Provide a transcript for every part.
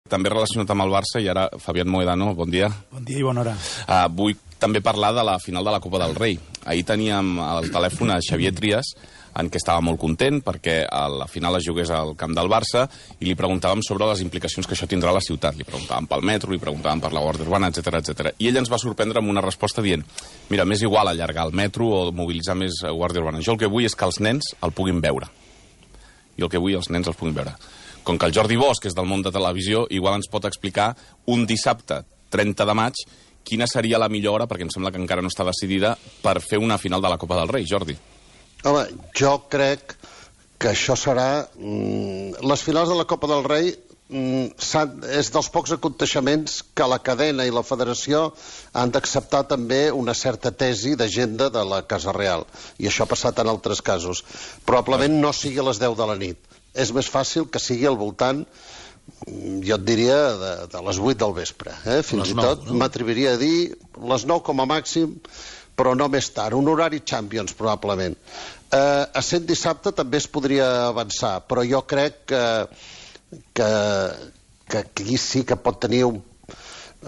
també relacionat amb el Barça, i ara, Fabián Mohedano, bon dia. Bon dia i bona hora. Vull també parlar de la final de la Copa del Rei. Ahir teníem al telèfon a Xavier Trias, en què estava molt content perquè a la final es jugués al camp del Barça, i li preguntàvem sobre les implicacions que això tindrà a la ciutat. Li preguntàvem pel metro, li preguntàvem per la Guàrdia Urbana, etc. I ell ens va sorprendre amb una resposta dient: mira, m'és igual allargar el metro o mobilitzar més Guàrdia Urbana. Jo el que vull és que els nens el puguin veure. Jo el que vull els nens els puguin veure. Com que el Jordi Bosch, que és del món de televisió, igual ens pot explicar un dissabte 30 de maig quina seria la millor hora, perquè em sembla que encara no està decidida, per fer una final de la Copa del Rei. Jordi. Home, jo crec que això serà... Les finals de la Copa del Rei és dels pocs aconteixements que la cadena i la federació han d'acceptar també una certa tesi d'agenda de la Casa Real. I això ha passat en altres casos. Probablement no sigui a les 10 de la nit. És més fàcil que sigui al voltant, jo et diria, de les 8 del vespre. Fins i tot m'atreviria a dir les 9 com a màxim, però no més tard, un horari Champions, probablement. A sent dissabte també es podria avançar, però jo crec que aquí sí que pot tenir un...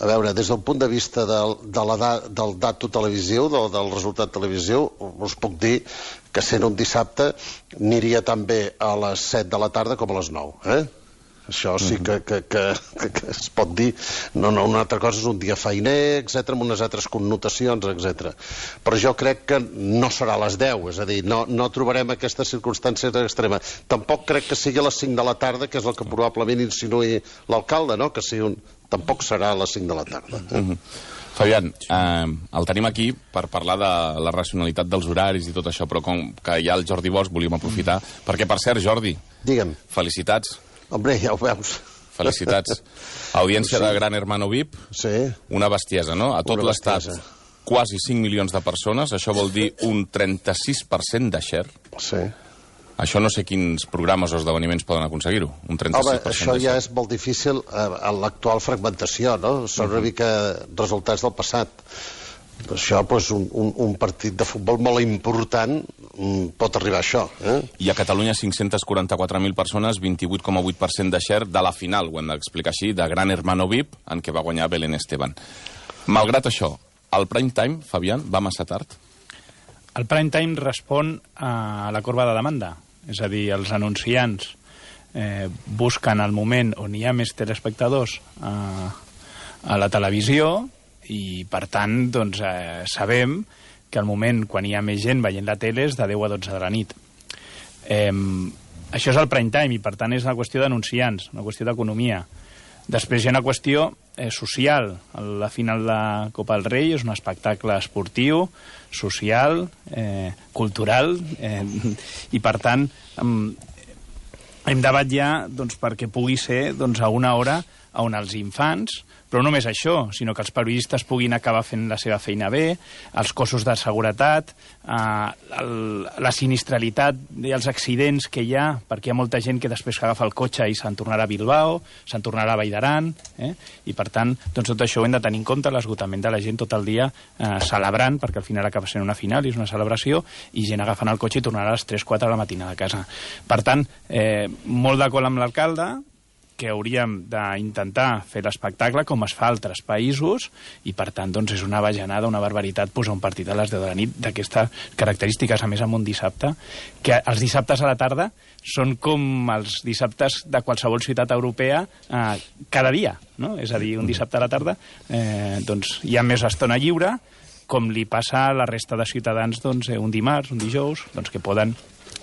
A veure, des del punt de vista del dato televisiu, del resultat televisiu, us puc dir que sent un dissabte aniria tan bé a les 7 de la tarda com a les 9, Això sí que es pot dir. No, una altra cosa és un dia feiner, etc., amb unes altres connotacions, etc. Però jo crec que no serà a les 10, és a dir, no trobarem aquestes circumstàncies extremes. Tampoc crec que sigui a les 5 de la tarda, que és el que probablement insinuï l'alcalde, no? Que tampoc serà a les 5 de la tarda. Fabián, el tenim aquí per parlar de la racionalitat dels horaris i tot això, però com que hi ha el Jordi Bosch, volíem aprofitar, perquè, per cert, Jordi, digue'm. Felicitats. Hombre, ja ho veus. Felicitats. Audiència de Gran Hermano VIP, una bestiesa, no? A tot l'estat, quasi 5 milions de persones, això vol dir un 36% de share. Sí. Això no sé quins programes o esdeveniments poden aconseguir-ho, un 36% Home, això ja és molt difícil en l'actual fragmentació, no? Són una mica resultats del passat. Això, doncs, un partit de futbol molt important pot arribar a això. I a Catalunya 544.000 persones, 28,8% de share de la final, ho hem d'explicar així, de Gran Hermano VIP, en què va guanyar Belén Esteban. Malgrat això, el prime time, Fabián, va massa tard? El prime time respon a la corba de demanda. És a dir, els anunciants busquen el moment on hi ha més telespectadors a la televisió, i per tant doncs, sabem que al moment quan hi ha més gent veient la tele és de 10 a 12 de la nit. Això és el prime time i per tant és una qüestió d'anunciants, una qüestió d'economia. Després hi ha una qüestió social. La final de la Copa del Rei és un espectacle esportiu, social, cultural, i per tant hem de vetllar doncs, perquè pugui ser doncs, a una hora on els infants, però no només això, sinó que els periodistes puguin acabar fent la seva feina bé, els cossos de seguretat, la sinistralitat i els accidents que hi ha, perquè hi ha molta gent que després agafa el cotxe i se'n tornarà a Bilbao, se'n tornarà a Vall d'Aran, i per tant, doncs tot això ho hem de tenir en compte, l'esgotament de la gent tot el dia celebrant, perquè al final acaba sent una final i és una celebració, i gent agafant el cotxe i tornarà a les 3-4 de la matinada a casa. Per tant, molt d'acord amb l'alcalde, que hauríem d'intentar fer l'espectacle com es fa a altres països i, per tant, doncs, és una bajanada, una barbaritat posar un partit a les 10 de la nit d'aquestes característiques, a més amb un dissabte, que els dissabtes a la tarda són com els dissabtes de qualsevol ciutat europea cada dia, no? És a dir, un dissabte a la tarda doncs, hi ha més estona lliure, com li passa a la resta de ciutadans doncs, un dimarts, un dijous, doncs, que poden,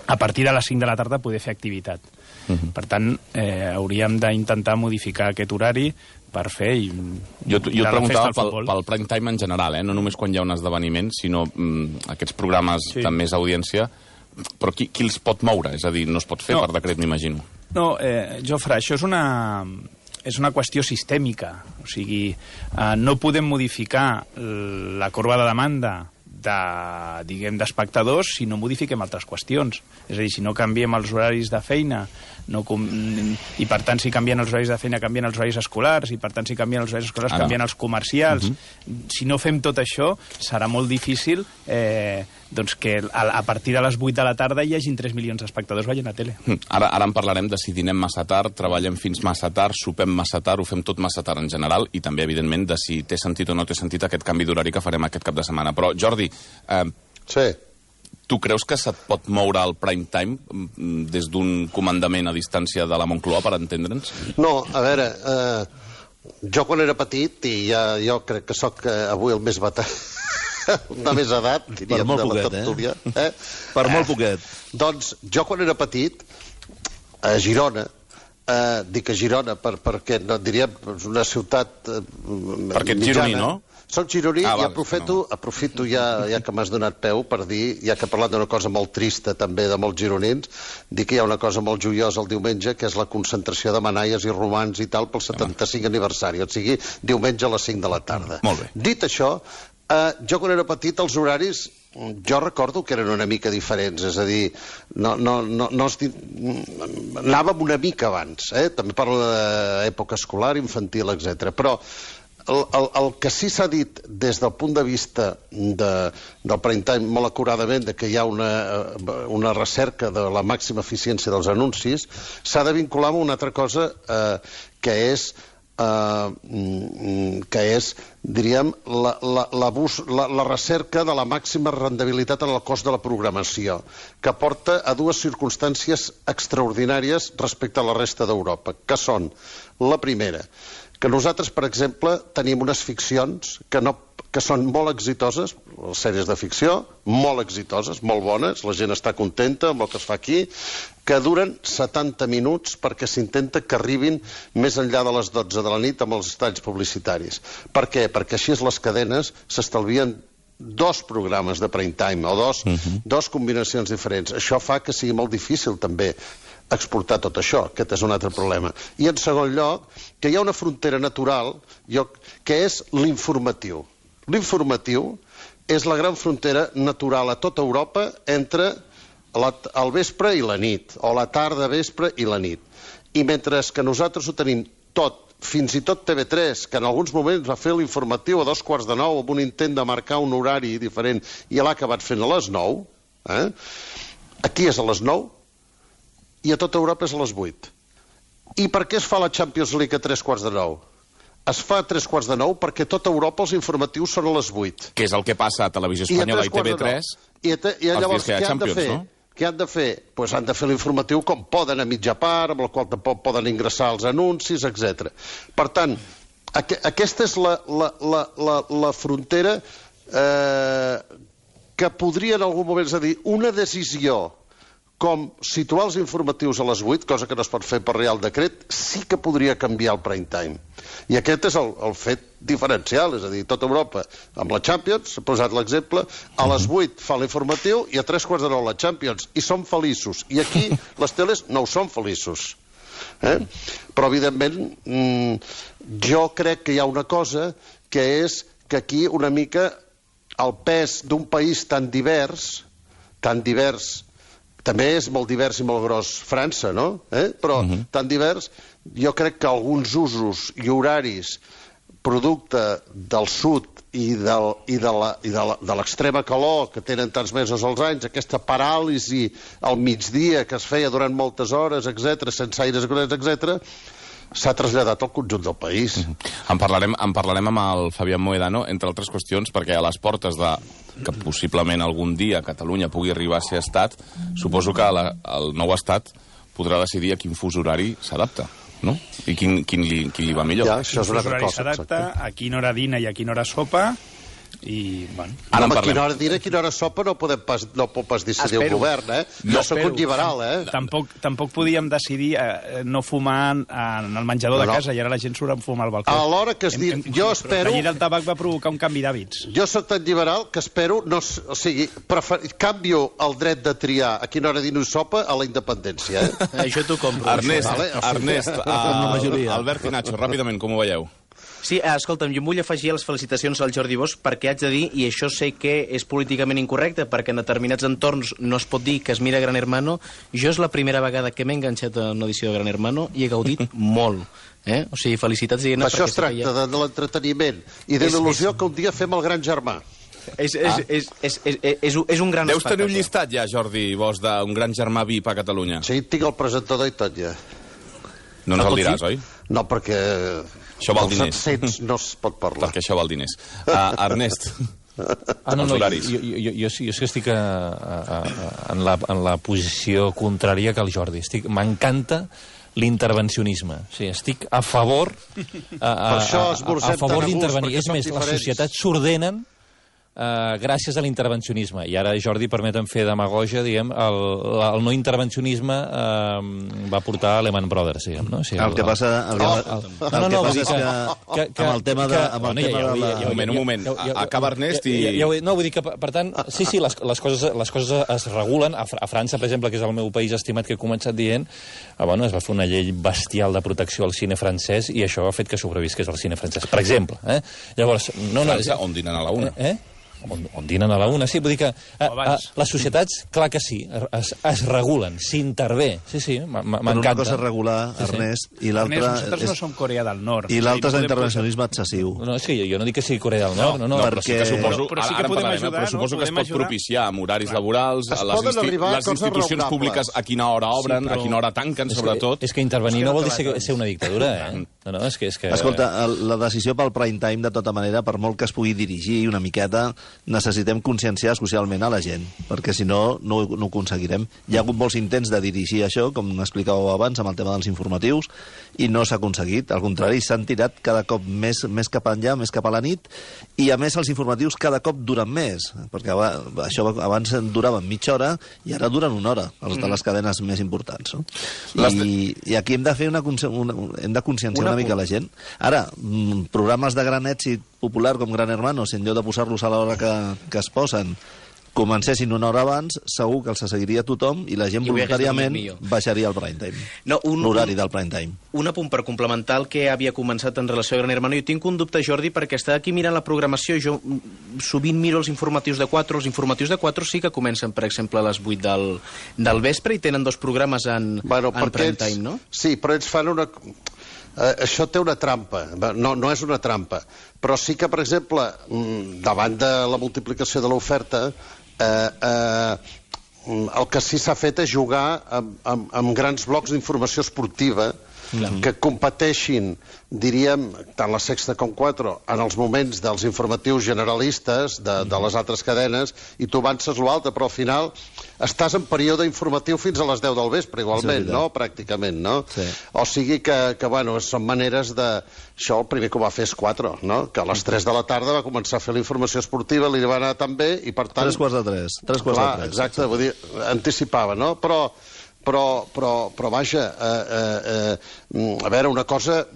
a partir de les 5 de la tarda, poder fer activitat. Per tant, hauríem d'intentar modificar aquest horari per fer... Jo et preguntava pel prime time en general, no només quan hi ha un esdeveniment, sinó aquests programes de més audiència, però qui els pot moure? És a dir, no es pot fer per decret, m'imagino. No, Jofre, això és una qüestió sistèmica. O sigui, no podem modificar la corba de demanda d'espectadors si no modifiquem altres qüestions. És a dir, si no canviem els horaris de feina, i per tant si canvien els horaris de feina canvien els horaris escolars, i per tant si canvien els horaris escolars canvien els comercials. Si no fem tot això, serà molt difícil que a partir de les 8 de la tarda hi hagin 3 milions d'espectadors veient la tele. Ara en parlarem de si dinem massa tard, treballem fins massa tard, sopem massa tard, ho fem tot massa tard en general, i també, evidentment, de si té sentit o no té sentit aquest canvi d'horari que farem aquest cap de setmana. Però, Jordi, tu creus que se't pot moure el prime time des d'un comandament a distància de la Moncloa, per entendre'ns? No, a veure, jo quan era petit, i jo crec que sóc avui el més veterà, de més edat, diríem, de la tertúlia. Per molt poquet. Doncs jo quan era petit, a Girona, dic a Girona perquè no diríem una ciutat perquè ets gironí, no? Soc gironí i aprofito ja que m'has donat peu per dir, ja que he parlat d'una cosa molt trista també de molts gironins, dir que hi ha una cosa molt joiosa el diumenge, que és la concentració de manaies i romans i tal pel 75 aniversari, o sigui, diumenge a les 5 de la tarda. Molt bé. Dit això, jo quan era petit els horaris jo recordo que eren una mica diferents, és a dir, anàvem una mica abans, també parlo d'època escolar, infantil, etc. Però el que sí s'ha dit des del punt de vista del prime time molt acuradament, que hi ha una recerca de la màxima eficiència dels anuncis, s'ha de vincular amb una altra cosa que és, diríem, la recerca de la màxima rendibilitat en el cost de la programació, que porta a dues circumstàncies extraordinàries respecte a la resta d'Europa, que són, la primera, que nosaltres, per exemple, tenim unes ficcions que són molt exitoses, les sèries de ficció, molt exitoses, molt bones, la gent està contenta amb el que es fa aquí, que duren 70 minuts perquè s'intenta que arribin més enllà de les 12 de la nit amb els talls publicitaris. Per què? Perquè així les cadenes s'estalvien 2 programes de prime time o dos combinacions diferents. Això fa que sigui molt difícil també exportar tot això, aquest és un altre problema. I en segon lloc, que hi ha una frontera natural que és l'informatiu. L'informatiu és la gran frontera natural a tota Europa entre el vespre i la nit, o la tarda, vespre i la nit. I mentre que nosaltres ho tenim tot, fins i tot TV3, que en alguns moments va fer l'informatiu a 8:45 amb un intent de marcar un horari diferent i l'ha acabat fent a les 9, aquí és a les 9, i a tota Europa és a les 8. I per què es fa la Champions League a 8:45? Es fa a 8:45 perquè a tota Europa els informatius són a les 8. Que és el que passa a Televisió Espanyola i TV3 i llavors què han de fer? Què han de fer? Doncs han de fer l'informatiu com poden, a mitja part, amb el qual tampoc poden ingressar els anuncis, etc. Per tant, aquesta és la frontera que podria en algun moment, és a dir, una decisió com situar els informatius a les 8, cosa que no es pot fer per Reial Decret, sí que podria canviar el prime time. I aquest és el fet diferencial, és a dir, tota Europa, amb la Champions, s'ha posat l'exemple, a les 8 fa l'informatiu i a 8:45 la Champions, i som feliços. I aquí les teles no ho són feliços. Però, evidentment, jo crec que hi ha una cosa que és que aquí una mica el pes d'un país tan divers, també és molt divers i molt gros França, no? Però tan divers, jo crec que alguns usos i horaris producte del sud i de l'extrema calor que tenen tants mesos als anys, aquesta paràlisi al migdia que es feia durant moltes hores, etc., sense aires, etc., s'ha traslladat al conjunt del país. En parlarem amb el Fabián Mohedano, entre altres qüestions, perquè a les portes que possiblement algun dia Catalunya pugui arribar a ser estat, suposo que el nou estat podrà decidir a quin fus horari s'adapta, no? I quin li va millor. Ja, això és una horari s'adapta, a quina hora dina i a quina hora sopa, i, bueno... Ara a quina hora dina i a quina hora sopa no pot pas decidir el govern, Jo soc un liberal, Tampoc podíem decidir no fumar en el menjador de casa, i ara la gent surt a fumar al balcó. A l'hora que es diu... Jo espero... La llei del tabac va provocar un canvi d'hàbits. Jo soc tan liberal que espero... O sigui, canvio el dret de triar a quina hora dino i sopa a la independència, Això t'ho compro. Ernest, Albert i Nacho, ràpidament, com ho veieu? Sí, escolta'm, jo em vull afegir les felicitacions al Jordi Bosch perquè haig de dir, i això sé que és políticament incorrecte, perquè en determinats entorns no es pot dir que es mira Gran Hermano. Jo és la primera vegada que m'he enganxat a una edició de Gran Hermano i he gaudit molt. O sigui, felicitats, diguem-ne. Això es tracta de l'entreteniment i de l'il·lusió que un dia fem el Gran Germà. És un gran Deus espectacle. tenir un llistat ja, Jordi Bosch, d'un gran germà VIP a Catalunya. Sí, tinc el presentador i tot ja. No ens el diràs, oi? No, perquè Això val els diners. accents no es pot parlar. Perquè això val diners. Ernest, no, els horaris. jo sí que estic en la posició contrària que el Jordi. M'encanta l'intervencionisme. O sigui, estic a favor d'intervenir. És més, les societats s'ordenen gràcies a l'intervencionisme. I ara, Jordi, permetem fer demagogia, diguem, el no intervencionisme va portar a Lehman Brothers, diguem, no? O sigui, el que passa és que amb el tema de... Un moment. Acaba Ernest i... No, vull dir que, per tant, sí, les coses es regulen. A França, per exemple, que és el meu país estimat, que he començat dient, es va fer una llei bestial de protecció al cine francès i això ha fet que sobrevisqués al cine francès, per exemple. Llavors, França, on dinen a la una. On dinen a la una, sí, vull dir que les societats, clar que sí, es regulen, s'intervé, sí, m'encanta. Una cosa és regular, Ernest, i l'altra... Nosaltres no som Corea del Nord. I l'altre és l'intervencionisme excessiu. No, és que jo no dic que sigui Corea del Nord, no, però sí que suposo... Però sí que podem ajudar, no? Suposo que es pot propiciar amb horaris laborals, les institucions públiques a quina hora obren, a quina hora tanquen, sobretot. És que intervenir no vol dir ser una dictadura, No, és que... Escolta, la decisió pel prime time, de tota manera, per molt que es pugui dirigir una miqueta, necessitem conscienciar socialment a la gent, perquè si no, no ho aconseguirem. Hi ha hagut molts intents de dirigir això, com explicàveu abans, amb el tema dels informatius, i no s'ha aconseguit. Al contrari, s'han tirat cada cop més cap enllà, més cap a la nit, i a més els informatius cada cop duren més, perquè això abans duraven mitja hora i ara duren una hora, els de les cadenes més importants. No? I aquí hem de fer hem de conscienciar una mica la gent. Ara, programes de gran èxit popular com Gran Hermano, si en lloc de posar-los a l'hora que es posen, comencessin una hora abans, segur que els seguiria tothom i la gent voluntàriament baixaria el prime time. L'horari del prime time. Un apunt per complementar el que havia començat en relació a Gran Hermano. Jo tinc un dubte, Jordi, perquè està aquí mirant la programació. Jo sovint miro els informatius de 4. Els informatius de 4 sí que comencen, per exemple, a les 8 del vespre i tenen 2 programes en prime time, no? Sí, però ells fan una... Això té una trampa, no és una trampa, però sí que, per exemple, davant de la multiplicació de l'oferta, el que sí s'ha fet és jugar amb grans blocs d'informació esportiva que competeixin, diríem, tant la Sexta com 4, en els moments dels informatius generalistes de les altres cadenes, i tu avances l'altre, però al final estàs en període informatiu fins a les 10 del vespre, igualment, no? Pràcticament, no? O sigui que, bueno, són maneres de... Això el primer que ho va fer és 4, no? Que a les 3 de la tarda va començar a fer la informació esportiva, li va anar tan bé, i per tant... 3:45. Exacte, vull dir, anticipava, no? Però vaja, a veure, una cosa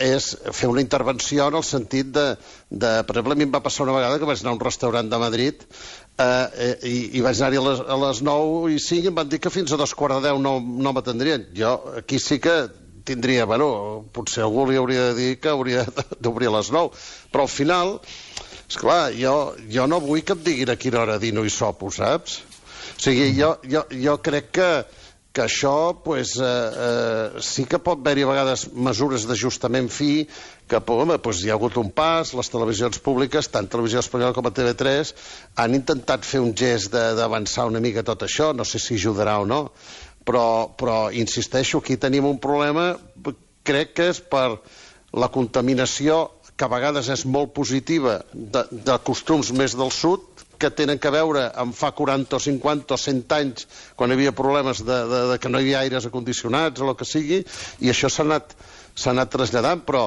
és fer una intervenció en el sentit de... Per exemple, a mi em va passar una vegada que vaig anar a un restaurant de Madrid i vaig anar-hi a les 9 i 5 i em van dir que fins a 2:45 no m'atendrien. Jo aquí sí que tindria, bueno, potser algú li hauria de dir que hauria d'obrir a les 9, però al final, esclar, jo no vull que em diguin a quina hora dino i sopo, saps? O sigui, jo crec que això sí que pot haver-hi a vegades mesures d'ajustament fi, que hi ha hagut un pas, les televisions públiques, tant Televisió Espanyola com a TV3, han intentat fer un gest d'avançar una mica tot això, no sé si ajudarà o no, però insisteixo, aquí tenim un problema, crec que és per la contaminació, que a vegades és molt positiva, de costums més del sud, que tenen a veure amb fa 40 o 50 o 100 anys, quan hi havia problemes de que no hi havia aires acondicionats o el que sigui, i això s'ha anat traslladant, però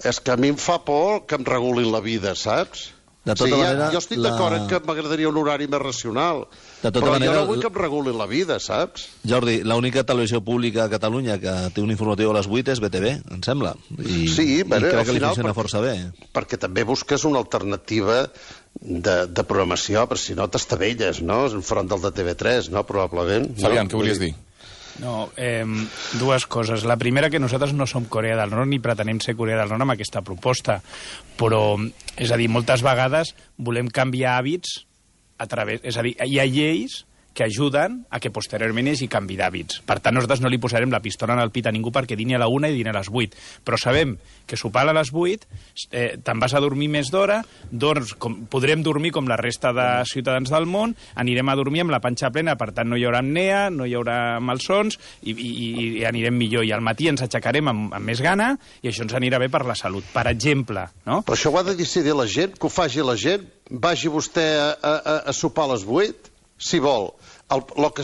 és que a mi em fa por que em regulin la vida, saps? De tota manera, jo estic d'acord que m'agradaria un horari més racional, però jo no vull que em regulin la vida, saps? Jordi, l'única televisió pública a Catalunya que té un informatiu a les 8 és BTV, em sembla. I crec que li funciona força bé. Perquè també busques una alternativa de programació, però si no t'estavelles, no? Enfront del de TV3, no? Probablement. Fabián, què volies dir? No, dues coses. La primera, que nosaltres no som Corea del Nord ni pretenem ser Corea del Nord amb aquesta proposta, però, és a dir, moltes vegades volem canviar hàbits a través... És a dir, hi ha lleis que ajuden a que posteriorment hi hagi canvi d'hàbits. Per tant, nosaltres no li posarem la pistola en el pit a ningú perquè dini a la 1 i dini a les 8. Però sabem que sopar a les 8 te'n vas a dormir més d'hora, podrem dormir com la resta de ciutadans del món, anirem a dormir amb la panxa plena, per tant no hi haurà apnea, no hi haurà malsons i anirem millor. I al matí ens aixecarem amb més gana i això ens anirà bé per la salut. Per exemple, no? Però això ho ha de decidir la gent, que ho faci la gent. Vagi vostè a sopar a les 8, si vol. El que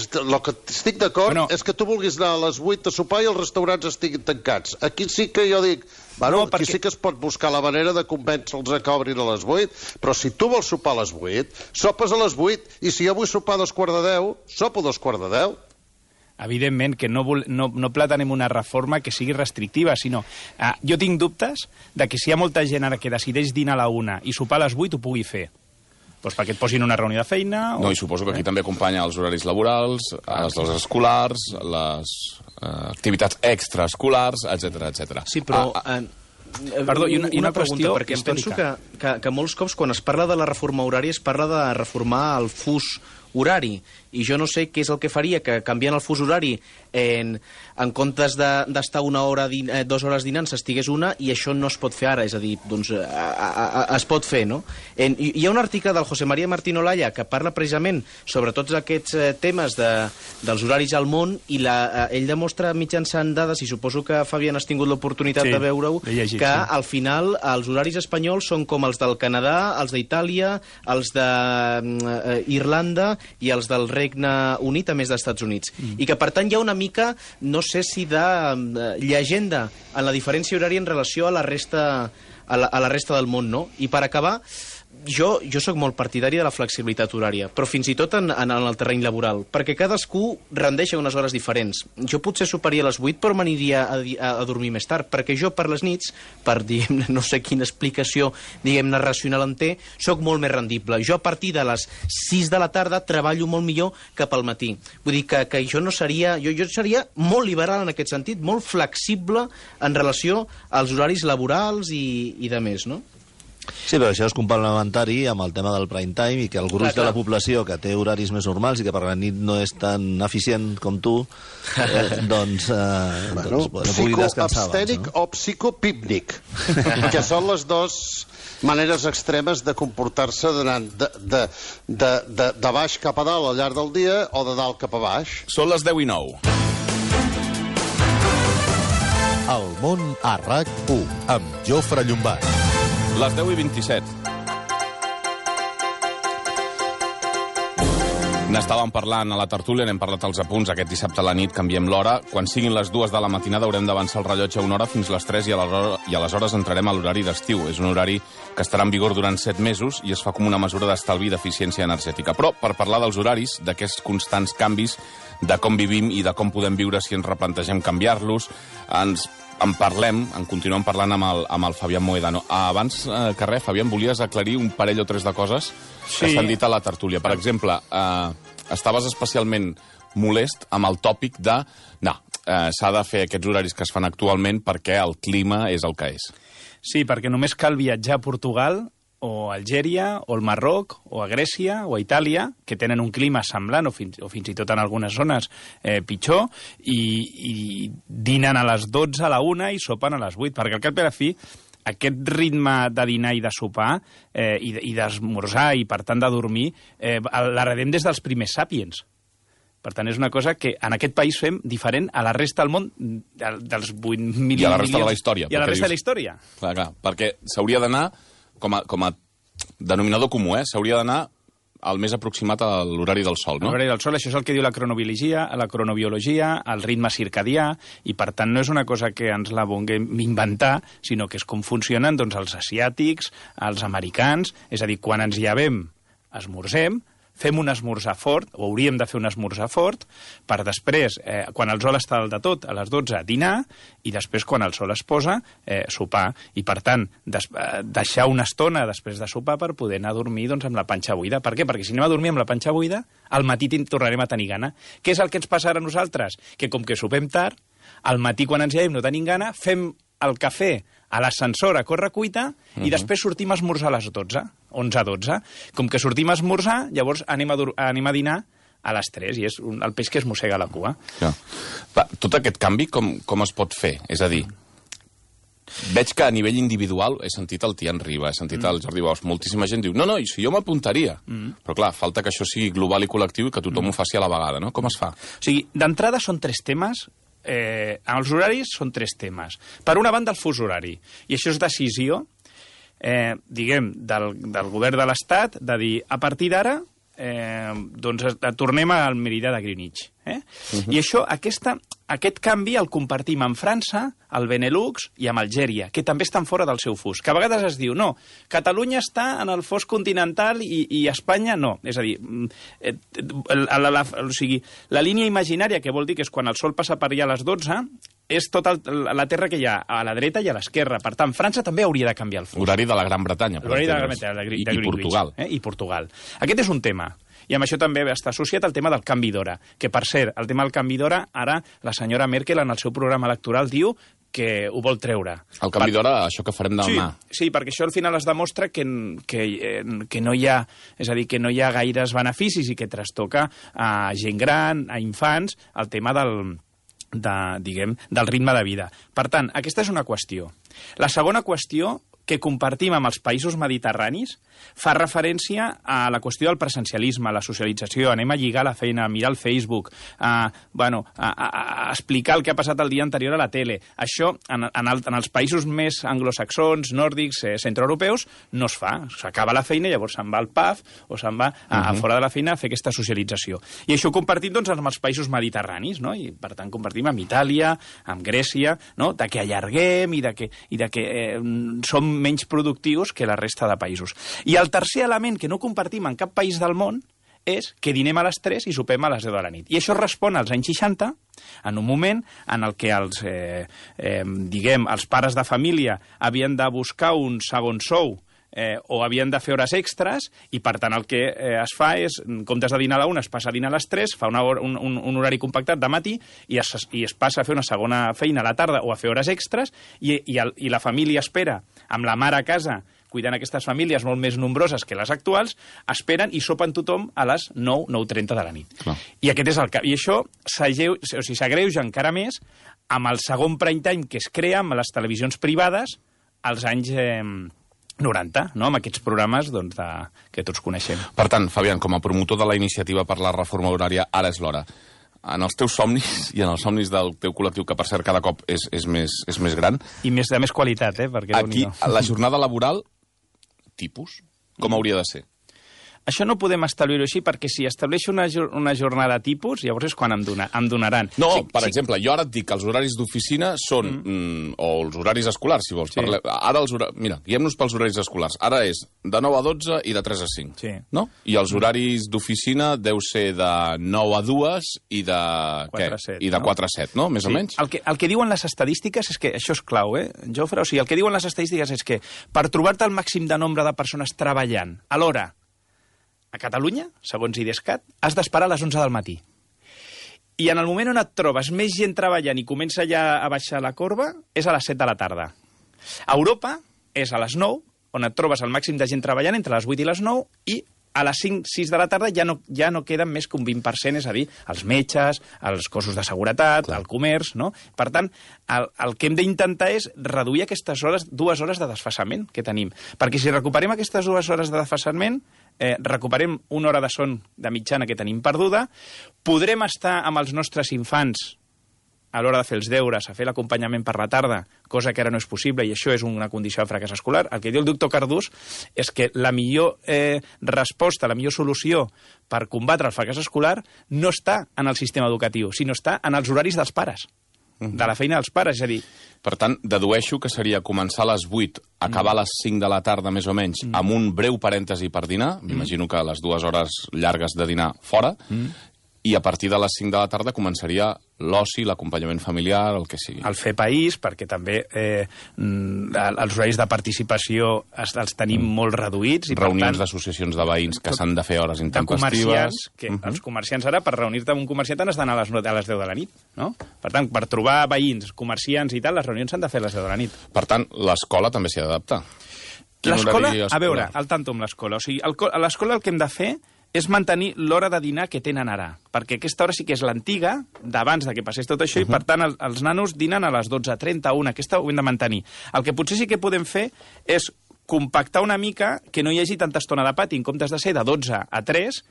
estic d'acord és que tu vulguis anar a les 8 a sopar i els restaurants estiguin tancats. Aquí sí que jo dic, aquí sí que es pot buscar la manera de convèncer-los a que obrin a les 8, però si tu vols sopar a les 8, sopes a les 8, i si jo vull sopar a 9:45, sopo a 9:45. Evidentment que no planenem una reforma que sigui restrictiva, sinó... jo tinc dubtes de que si hi ha molta gent ara que decideix dinar a la 1 i sopar a les 8 ho pugui fer. Doncs perquè et posin una reunió de feina... No, i suposo que aquí també acompanya els horaris laborals, les hores escolars, les activitats extraescolars, etc. Sí, però... Perdó, i una pregunta, perquè em penso que molts cops quan es parla de la reforma horària es parla de reformar el fus horari, i jo no sé què és el que faria, que canviant el fus horari en comptes d'estar 2 hores dinant s'estigués una, i això no es pot fer ara, és a dir, doncs es pot fer, no? Hi ha un article del José María Martín Olaya que parla precisament sobre tots aquests temes dels horaris al món, i ell demostra mitjançant dades, i suposo que, Fabián, has tingut l'oportunitat de veure-ho, que al final els horaris espanyols són com els del Canadà, els d'Itàlia, els d'Irlanda i els del Regne Unit, a més dels Estats Units. I que, per tant, hi ha una mica, no sé si de llegenda en la diferència horària en relació a la resta del món, no? I per acabar, jo sóc molt partidari de la flexibilitat horària, però fins i tot en el terreny laboral, perquè cadascú rendeix a unes hores diferents. Jo potser soparia a les 8, però m'aniria a dormir més tard, perquè jo per les nits, per, diguem-ne, no sé quina explicació, diguem-ne, racional en té, sóc molt més rendible. Jo a partir de les 6 de la tarda treballo molt millor que pel matí. Vull dir que jo no seria... Jo seria molt liberal en aquest sentit, molt flexible en relació als horaris laborals i de més, no? Sí, però això és complementari amb el tema del prime time, i que el gruix de la població que té horaris més normals i que per la nit no és tan eficient com tu, doncs pugui descansar abans, no? O psicopípnic, que són les dues maneres extremes de comportar-se de baix cap a dalt al llarg del dia o de dalt cap a baix. Són les 10:09. El món a RAC1 amb Jofre Llombart. Les 10:27. N'estàvem parlant a la tertúlia, n'hem parlat als apunts. Aquest dissabte a la nit canviem l'hora. Quan siguin les 2 de la matinada haurem d'avançar el rellotge una hora fins les 3 i aleshores entrarem a l'horari d'estiu. És un horari que estarà en vigor durant 7 mesos i es fa com una mesura d'estalvi i d'eficiència energètica. Però per parlar dels horaris, d'aquests constants canvis, de com vivim i de com podem viure si ens replantegem canviar-los, en continuem parlant amb el Fabián Mohedano. Abans que res, Fabián, volies aclarir un parell o tres de coses que s'han dit a la tertúlia. Per exemple, estaves especialment molest amb el tòpic de s'ha de fer aquests horaris que es fan actualment perquè el clima és el que és. Sí, perquè només cal viatjar a Portugal o a Algèria, o al Marroc, o a Grècia, o a Itàlia, que tenen un clima semblant, o fins i tot en algunes zones pitjor, i dinen a les 12, a la 1 i sopen a les 8, perquè al cap i a la fi aquest ritme de dinar i de sopar i d'esmorzar i, per tant, de dormir, l'heredem des dels primers sàpiens. Per tant, és una cosa que en aquest país fem diferent a la resta del món dels 8 milions... I a la resta de la història. I a la resta de la història. Clar, perquè s'hauria d'anar... Com a denominador comú, s'hauria d'anar al més aproximat a l'horari del sol, no? L'horari del sol, això és el que diu la cronobiologia, el ritme circadià, i per tant no és una cosa que ens la vulguem inventar, sinó que és com funcionen els asiàtics, els americans, és a dir, quan ens llevem, esmorzem, fem un esmorzar fort, o hauríem de fer un esmorzar fort, per després, quan el sol està al de tot, a les 12, dinar, i després, quan el sol es posa, sopar. I, per tant, deixar una estona després de sopar per poder anar a dormir doncs, amb la panxa buida. Per què? Perquè si anem a dormir amb la panxa buida, al matí tornarem a tenir gana. Què és el que ens passarà a nosaltres? Que com que sopem tard, al matí quan ens llevem no tenim gana, fem el cafè a l'ascensor a correcuita i després sortim a esmorzar a les 12, 11-12. Com que sortim a esmorzar, llavors anem a dinar a les 3 i és el peix que es mossega la cua. Ja. Tot aquest canvi com es pot fer? És a dir, veig que a nivell individual he sentit el Tian Riba, he sentit el Jordi Bosch, moltíssima gent diu, no, i si jo m'apuntaria. Però clar, falta que això sigui global i col·lectiu i que tothom ho faci a la vegada, no? Com es fa? O sigui, d'entrada són 3 temes. Els horaris són 3 temes. Per una banda, el fus horari. I això és decisió, diguem, del govern de l'Estat, de dir, a partir d'ara, doncs tornem al meridià de Greenwich. I això, aquest canvi el compartim amb França, el Benelux i amb Algèria, que també estan fora del seu fus. Que a vegades es diu, no, Catalunya està en el fus continental i Espanya no. És a dir, o sigui, la línia imaginària, que vol dir que és quan el sol passa per allà a les 12, és tota la terra que hi ha a la dreta i a l'esquerra. Per tant, França també hauria de canviar el fus. Horari de la Gran Bretanya. L'horari de la Gran Bretanya, de Portugal. I Portugal. Aquest és un tema. I amb això també està associat el tema del canvi d'hora. Que, per cert, el tema del canvi d'hora, ara la senyora Merkel en el seu programa electoral diu que ho vol treure. El canvi d'hora, això que farem demà. Sí, perquè això al final es demostra que no hi ha, és a dir, que no hi ha gaires beneficis i que trastoca a gent gran, a infants, el tema del ritme de vida. Per tant, aquesta és una qüestió. La segona qüestió que compartim amb els països mediterranis fa referència a la qüestió del presencialisme, a la socialització, anem a lligar la feina, a mirar el Facebook, a explicar el que ha passat el dia anterior a la tele. Això, en els països més anglosaxons, nòrdics, centroeuropeus, no es fa. S'acaba la feina i llavors se'n va al pub o se'n va a fora de la feina a fer aquesta socialització. I això ho compartim doncs, amb els països mediterranis, no? I per tant compartim amb Itàlia, amb Grècia, no? De que allarguem i de que som menys productius que la resta de països. I el tercer element que no compartim en cap país del món és que dinem a les 3 i sopem a les 10 de la nit. I això respon als anys 60, en un moment en el que els pares de família havien de buscar un segon sou o havien de fer hores extres i, per tant, el que es fa és, en comptes de dinar a la 1, es passa a dinar a les 3, fa un horari compactat de matí i es passa a fer una segona feina a la tarda o a fer hores extres i la família espera, amb la mare a casa, cuidant aquestes famílies molt més nombroses que les actuals, esperen i sopen tothom a les 9, 9:30 de la nit. Clar. I aquest és el cap. I això s'agreuja encara més amb el segon prime time que es crea amb les televisions privades als anys 90, no? Amb aquests programes doncs, que tots coneixem. Per tant, Fabián, com a promotor de la iniciativa per la reforma horària, ara és l'hora. En els teus somnis i en els somnis del teu col·lectiu, que per cert cada cop és més gran... I de més qualitat, perquè aquí, la jornada laboral, tipus, com hauria de ser? Això no podem establir-ho així, perquè si estableixo una jornada tipus, llavors és quan em donaran. No, per exemple, jo ara et dic que els horaris d'oficina són, o els horaris escolars, si vols. Sí. Ara mira, guiem-nos pels horaris escolars. Ara és de 9 a 12 i de 3 a 5. Sí. No? I els horaris d'oficina deu ser de 9 a 2 i de 4 a 7, no? Més o menys? El que diuen les estadístiques és que, això és clau, Jofre? O sigui, el que diuen les estadístiques és que per trobar-te el màxim de nombre de persones treballant a l'hora a Catalunya, segons IDESCAT, has d'esperar a les 11 del matí. I en el moment on et trobes més gent treballant i comença ja a baixar la corba, és a les 7 de la tarda. A Europa és a les 9, on et trobes el màxim de gent treballant entre les 8 i les 9, i a les 5, 6 de la tarda ja no queden més que un 20%, és a dir, els metges, els cossos de seguretat, el comerç, no? Per tant, el que hem d'intentar és reduir aquestes 2 hores de desfasament que tenim. Perquè si recuperem aquestes 2 hores de desfasament, recuperem una hora de son de mitjana que tenim perduda, podrem estar amb els nostres infants a l'hora de fer els deures, a fer l'acompanyament per la tarda, cosa que ara no és possible, i això és una condició de fracàs escolar. El que diu el doctor Cardús és que la millor resposta, la millor solució per combatre el fracàs escolar no està en el sistema educatiu, sinó està en els horaris dels pares. de la feina dels pares, és a dir... Per tant, dedueixo que seria començar a les 8, acabar a les 5 de la tarda, més o menys, amb un breu parèntesi per dinar, m'imagino que les 2 hores llargues de dinar fora, i a partir de les 5 de la tarda començaria l'oci, l'acompanyament familiar, el que sigui. El fer país, perquè també els horaris de participació els tenim molt reduïts. I Reunions d'associacions de veïns que s'han de fer hores intempestives. Els comerciants ara, per reunir-te amb un comerciant, has d'anar a les 10 de la nit, no? Per tant, per trobar veïns, comerciants i tal, les reunions s'han de fer a les 10 de la nit. Per tant, l'escola també s'hi ha d'adaptar. L'escola, a veure, al tanto amb l'escola. O sigui, a l'escola el que hem de fer és mantenir l'hora de dinar que tenen ara, perquè aquesta hora sí que és l'antiga, d'abans de que passés tot això, i per tant els nanos dinen a les 12:30, 1, aquesta ho hem de mantenir. El que potser sí que podem fer és compactar una mica que no hi hagi tanta estona de pati, en comptes de ser de 12 a 3,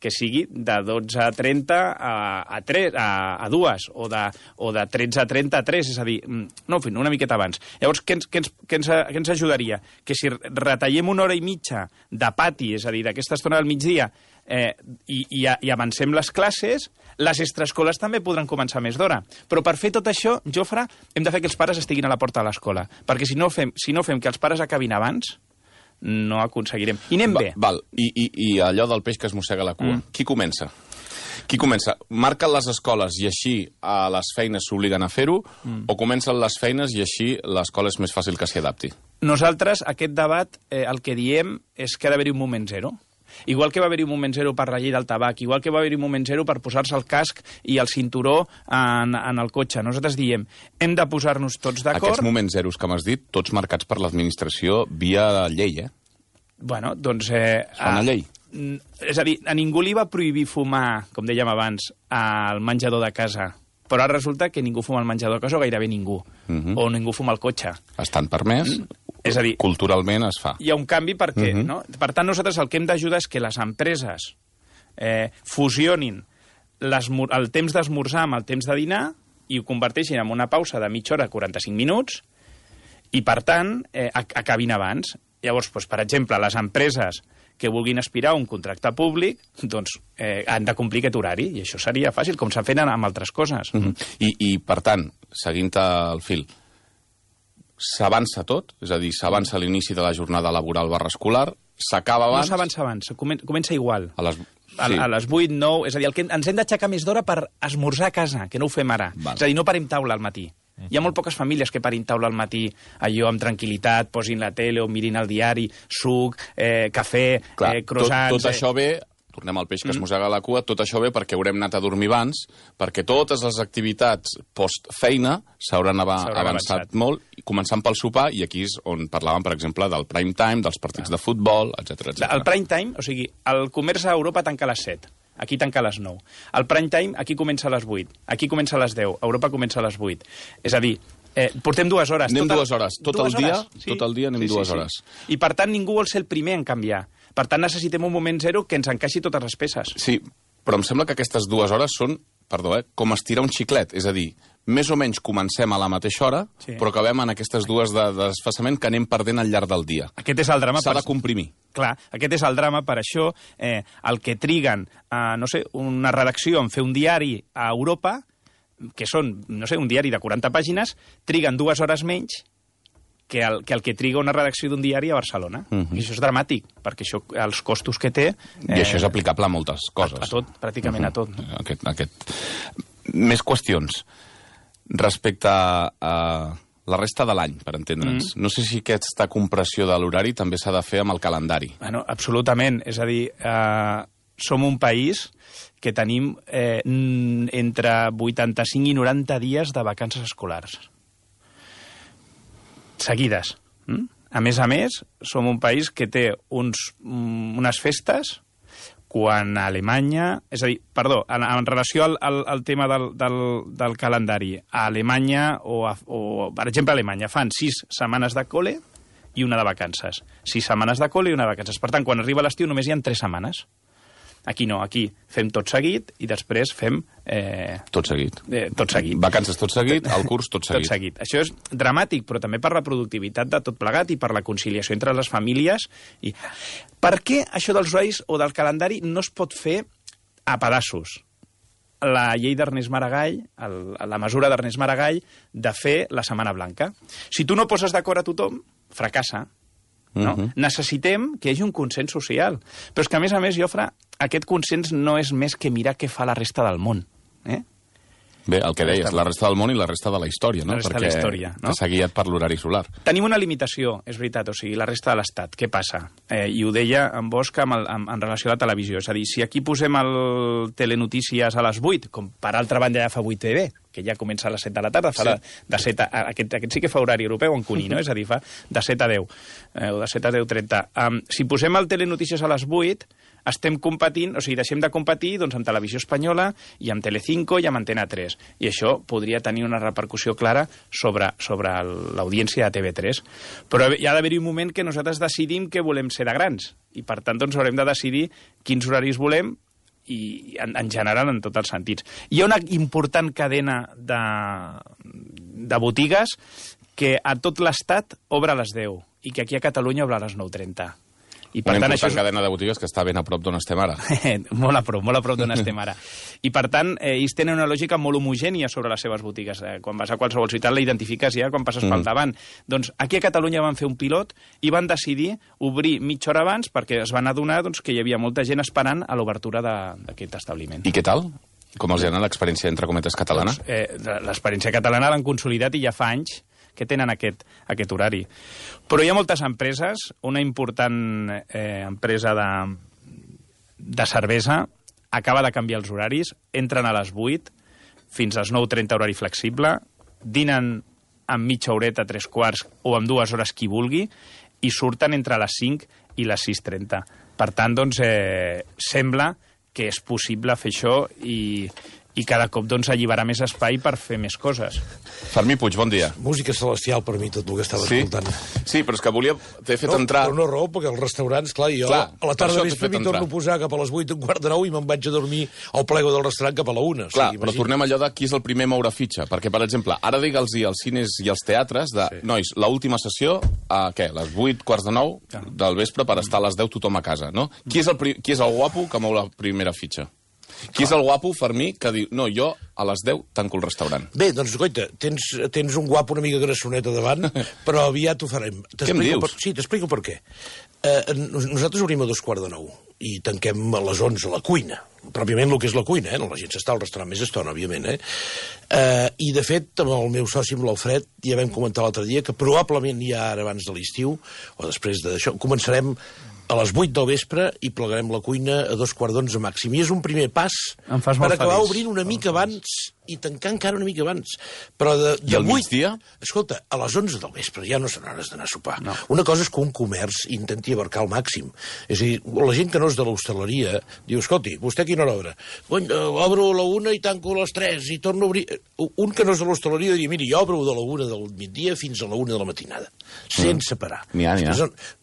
que sigui de 12:30 a 2, o de 13:30 a 3, és a dir, no, en fi, una miqueta abans. Llavors, què ens ajudaria? Que si retallem una hora i mitja de pati, és a dir, d'aquesta estona del migdia, i avancem les classes, les extraescoles també podran començar més d'hora. Però per fer tot això, Jofre, hem de fer que els pares estiguin a la porta de l'escola, perquè si no fem que els pares acabin abans, no aconseguirem. I anem bé. Val. I allò del peix que es mossega la cua. Qui comença? Marquen les escoles i així a les feines s'obliguen a fer-ho, o comencen les feines i així l'escola és més fàcil que s'hi adapti? Nosaltres, aquest debat, el que diem és que ha d'haver-hi un moment zero. Igual que va haver-hi un moment zero per la llei del tabac, igual que va haver-hi un moment zero per posar-se el casc i el cinturó en el cotxe. Nosaltres diem, hem de posar-nos tots d'acord... Aquests moments zeros que m'has dit, tots marcats per l'administració via llei, Bueno, doncs... Fa una llei. És a dir, a ningú li va prohibir fumar, com dèiem abans, al menjador de casa. Però ara resulta que ningú fuma al menjador de casa, o gairebé ningú. O ningú fuma al cotxe. Estan permès... És a dir, culturalment es fa. Hi ha un canvi perquè, no? Per tant, nosaltres el que hem d'ajudar és que les empreses fusionin el temps d'esmorzar amb el temps de dinar i ho converteixin en una pausa de mitja hora, 45 minuts, i, per tant, acabin abans. Llavors, doncs, per exemple, les empreses que vulguin aspirar a un contracte públic, doncs han de complir aquest horari, i això seria fàcil, com s'ha fet amb altres coses. I, per tant, seguint el fil, s'avança tot? És a dir, s'avança l'inici de la jornada laboral /escolar, s'acaba abans... No s'avança abans, comença igual. A les 8, 9... És a dir, ens hem d'aixecar més d'hora per esmorzar a casa, que no ho fem ara. Val. És a dir, no parem taula al matí. Hi ha molt poques famílies que parin taula al matí, allò amb tranquil·litat, posin la tele o mirin el diari, suc, cafè, croissants... Tot això ve... Tornem al peix que es mossega la cua, tot això ve perquè haurem anat a dormir abans, perquè totes les activitats post-feina s'hauran avançat molt, començant pel sopar, i aquí és on parlàvem, per exemple, del prime time, dels partits de futbol, etc. El prime time, o sigui, el comerç a Europa tanca a les 7, aquí tanca a les 9. El prime time aquí comença a les 8, aquí comença a les 10, a Europa comença a les 8. És a dir, portem 2 hores. Anem 2 hores. Tot el dia anem 2 hores. I per tant ningú vol ser el primer en canviar. Per tant necessitem un moment zero que ens encaixi totes les peces. Sí, però em sembla que aquestes 2 hores són, com estirar un xiclet. És a dir, més o menys comencem a la mateixa hora, però acabem en aquestes 2 de desfasament que anem perdent al llarg del dia. Aquest és el drama. S'ha de comprimir. Clar, aquest és el drama, per això el que triguen, una redacció en fer un diari a Europa, que són, un diari de 40 pàgines, triguen 2 hores menys que el que triga una redacció d'un diari a Barcelona. I això és dramàtic, perquè això, els costos que té... I això és aplicable a moltes coses. A tot, pràcticament a tot. Més qüestions. Respecte a la resta de l'any, per entendre'ns. No sé si aquesta compressió de l'horari també s'ha de fer amb el calendari. Bueno, absolutament. És a dir, som un país que tenim entre 85 i 90 dies de vacances escolars. Seguides. A més, som un país que té unes festes quan a Alemanya... És a dir, perdó, en relació al tema del calendari, a Alemanya, per exemple, a Alemanya fan 6 setmanes de col·le i una de vacances. 6 setmanes de col·le i una de vacances. Per tant, quan arriba l'estiu només hi ha 3 setmanes. Aquí no, aquí fem tot seguit i després fem... Tot seguit. Tot seguit. Vacances tot seguit, el curs tot seguit. Tot seguit. Això és dramàtic, però també per la productivitat de tot plegat i per la conciliació entre les famílies. Per què això dels horaris o del calendari no es pot fer a pedaços? la llei d'Ernest Maragall, la mesura d'Ernest Maragall, de fer la Setmana Blanca. Si tu no poses d'acord a tothom, fracassa. No? Necessitem que hi hagi un consens social. Però és que, a més, Jofre, aquest consens no és més que mirar què fa la resta del món. Bé, el que deies, la resta del món i la resta de la història, no? La resta de la història, no? Que s'ha guiat per l'horari solar. Tenim una limitació, és veritat, o sigui, la resta de l'Estat. Què passa? I ho deia en Bosch en relació a la televisió. És a dir, si aquí posem el Telenotícies a les 8, com per altra banda ja fa 8TV, que ja comença a les 7 de la tarda, fa de 7 a... Aquest sí que fa horari europeu en cuní, no? És a dir, fa de 7 a 10, o de 7 a 10:30. Si posem el Telenotícies a les 8, estem competint, o sigui, deixem de competir doncs, amb Televisió Espanyola i amb Telecinco i amb Antena 3. I això podria tenir una repercussió clara sobre l'audiència de TV3. Però hi ha d'haver-hi un moment que nosaltres decidim que volem ser de grans. I, per tant, doncs, haurem de decidir quins horaris volem i en general en tots els sentits. Hi ha una important cadena de botigues que a tot l'Estat obre a les 10 i que aquí a Catalunya obre a les 9:30. I per una tant, important cadena de botigues que està ben a prop d'on estem ara. molt a prop d'on estem ara. I per tant, ells tenen una lògica molt homogènia sobre les seves botigues. Quan vas a qualsevol ciutat la identifiques ja quan passes pel davant. Doncs aquí a Catalunya van fer un pilot i van decidir obrir mitja hora abans perquè es van adonar doncs, que hi havia molta gent esperant a l'obertura d'aquest establiment. I què tal? Com els ha anat l'experiència, entre cometes, catalana? Doncs, l'experiència catalana l'han consolidat i ja fa anys que tenen aquest horari. Però hi ha moltes empreses, una important empresa de cervesa acaba de canviar els horaris, entren a les 8 fins a les 9:30 horari flexible, dinen amb mitja horeta, 3/4 o amb 2 hores qui vulgui i surten entre les 5 i les 6:30. Per tant, doncs, sembla que és possible fer això i cada cop doncs, alliberar més espai per fer més coses. Fermí Puig, bon dia. Música celestial per mi, tot el que estava escoltant. Sí, però és que t'he fet entrar... Per una raó, perquè els restaurants, clar, jo a la tarda vespre m'hi torno a posar cap a les 8, 8:45 i me'n vaig a dormir al plego del restaurant cap a la 1. Clar, però tornem allò de qui és el primer a moure fitxa, perquè, per exemple, ara digue'ls als cines i als teatres de, nois, l'última sessió, a què, les 8:45 del vespre per estar a les 10 tothom a casa, no? Qui és el guapo que mou la primera fitxa? Qui és el guapo, Fermí, que diu, no, jo a les 10 tanco el restaurant? Bé, doncs, coita, tens un guapo una mica grassoneta davant, però aviat ho farem. Què em dius? Sí, t'explico per què. Nosaltres obrim a 8:45 i tanquem a les 11 a la cuina. Pròpiament el que és la cuina, la gent s'està al restaurant més estona, òbviament. I, de fet, amb el meu soci, amb l'Alfred, ja vam comentar l'altre dia que probablement ja ara abans de l'estiu, o després d'això, començarem a les 8 del vespre i plegarem la cuina a 11:15 màxim. I és un primer pas per acabar obrint una mica abans i tancar encara una mica abans. Però de 8... migdia? Escolta, a les 11 del vespre ja no són hores d'anar a sopar. No. Una cosa és que un comerç intenti abarcar al màxim. És a dir, la gent que no és de l'hostaleria diu, escolti, vostè a quina hora obre? Obro a la 1 i tanco a les 3 i torno a obrir... Un que no és de l'hostaleria diria, miri, jo obro de la 1 del migdia fins a la 1 de la matinada, sense parar. N'hi ha.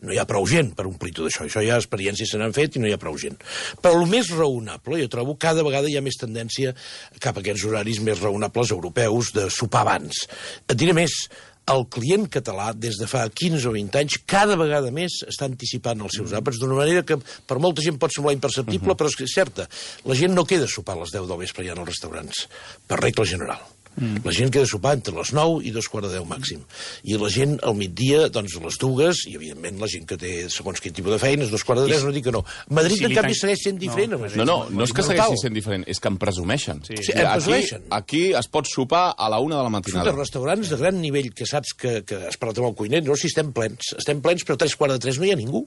No hi ha prou gent per omplir tot això. Això ja experiències se n'han fet i no hi ha prou gent. Però el més raonable, jo trobo, cada vegada hi ha més tendència cap a aquests horaris més raonables europeus de sopar abans. Et diré més, el client català, des de fa 15 o 20 anys, cada vegada més està anticipant els seus àpats d'una manera que per molta gent pot semblar imperceptible, però és que és certa. La gent no queda a sopar a les 10 del vespre ja en els restaurants, per regla general. La gent queda a sopar entre les 9 i 9:45 màxim. I la gent al migdia, doncs a les 2, i evidentment la gent que té segons quin tipus de feines, 2:45, no dic que no. Madrid, en canvi, segueix sent diferent. No és que segueixi sent diferent, és que em presumeixen. Aquí es pot sopar a la 1 de la matinada. Escolta, restaurants de gran nivell que saps que has parlat amb el cuiner, no, si estem plens, però a 3:45 no hi ha ningú.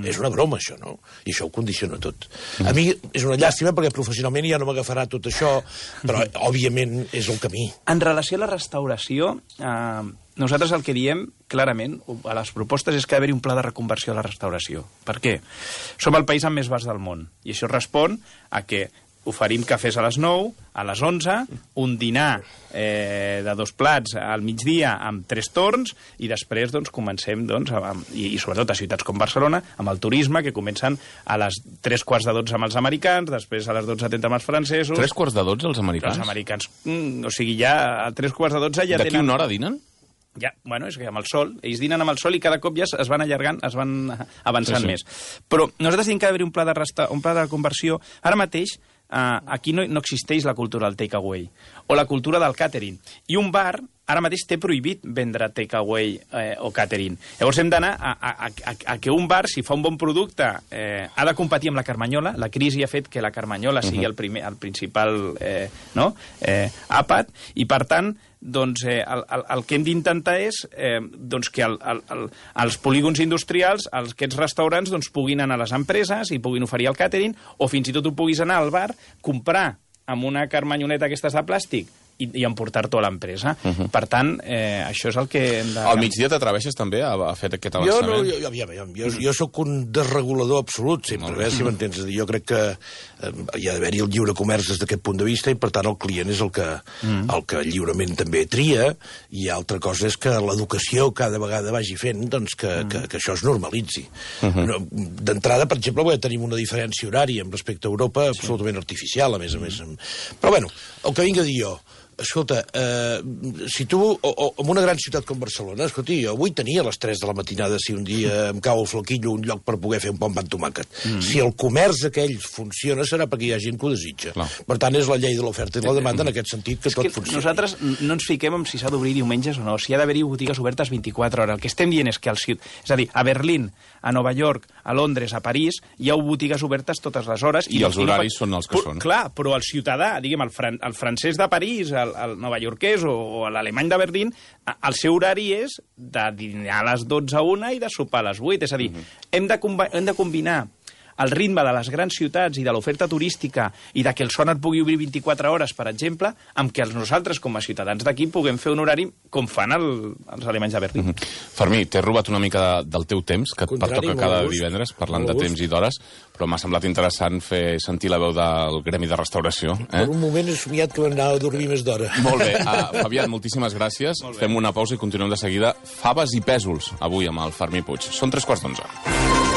És una broma, això, no? I això ho condiciona tot. A mi és una llàstima perquè professionalment ja no m'agafarà tot això, però, òbviament, és el camí. En relació a la restauració, nosaltres el que diem, clarament, a les propostes és que ha d'haver-hi un pla de reconversió a la restauració. Per què? Som el país amb més bars del món, i això respon a que oferim cafès a les 9, a les 11, un dinar de 2 plats al migdia amb 3 torns i després doncs, comencem, i sobretot a ciutats com Barcelona, amb el turisme, que comencen a les 3:15 amb els americans, després a les 12:30 amb els francesos... 3:15 els americans? Els americans. O sigui, ja a 3:15 ja tenen... D'aquí una hora dinen? Ja, bueno, és que amb el sol, ells dinen amb el sol i cada cop ja es van allargant, es van avançant més. Però nosaltres tenim que haver un pla de conversió. Ara mateix aquí no existeix la cultura del takeaway o la cultura del catering. I un bar ara mateix té prohibit vendre takeaway o catering. Llavors hem d'anar a que un bar, si fa un bon producte, ha de competir amb la Carmanyola. La crisi ha fet que la Carmanyola sigui el principal àpat, i per tant doncs, el que hem d'intentar és que els polígons industrials, aquests restaurants, doncs, puguin anar a les empreses i puguin oferir el catering, o fins i tot tu puguis anar al bar, comprar amb una carmanyoneta aquestes de plàstic i emportar-t'ho a l'empresa. Per tant, això és el que hem de... Al migdia t'atreveixes també a fer aquest avançament? Jo sóc un desregulador absolut, sempre, si m'entens. Jo crec que hi ha d'haver-hi el lliure comerç des d'aquest punt de vista, i per tant el client és el que lliurement també tria, i altra cosa és que l'educació cada vegada vagi fent doncs, que això es normalitzi. D'entrada, per exemple, tenim una diferència horària amb respecte a Europa absolutament artificial, a més. Però bueno, el que vinc a dir jo, escolta, si tu, en una gran ciutat com Barcelona, escolta, jo vull tenir a les 3 de la matinada, si un dia em cau el flaquillo, un lloc per poder fer un bon pa amb tomàquet. Si el comerç aquell funciona, serà perquè hi ha gent que ho desitja. Per tant, és la llei de l'oferta i la demanda en aquest sentit que tot funciona. Nosaltres no ens fiquem en si s'ha d'obrir diumenges o no, si ha d'haver-hi botigues obertes 24 hores. El que estem dient és que és a dir, a Berlín, a Nova York, a Londres, a París, hi ha botigues obertes totes les hores. I els horaris són els que són. Clar, però el ciutadà, diguem, el francès de París, el novaiorquès o l'alemany de Berlín, el seu horari és de dinar a les 12 a 1 i de sopar a les 8. És a dir, hem de combinar el ritme de les grans ciutats i de l'oferta turística i de que el son et pugui obrir 24 hores, per exemple, amb que nosaltres, com a ciutadans d'aquí, puguem fer un horari com fan els alemanys de Berlín. Fermí, t'he robat una mica del teu temps, que et pertoca cada divendres, parlant de temps i d'hores, però m'ha semblat interessant fer sentir la veu del gremi de restauració. Per un moment he somiat que m'anava a dormir més d'hora. Molt bé. Fabián, moltíssimes gràcies. Fem una pausa i continuem de seguida. Faves i pèsols, avui amb el Fermí Puig. Són 3:15.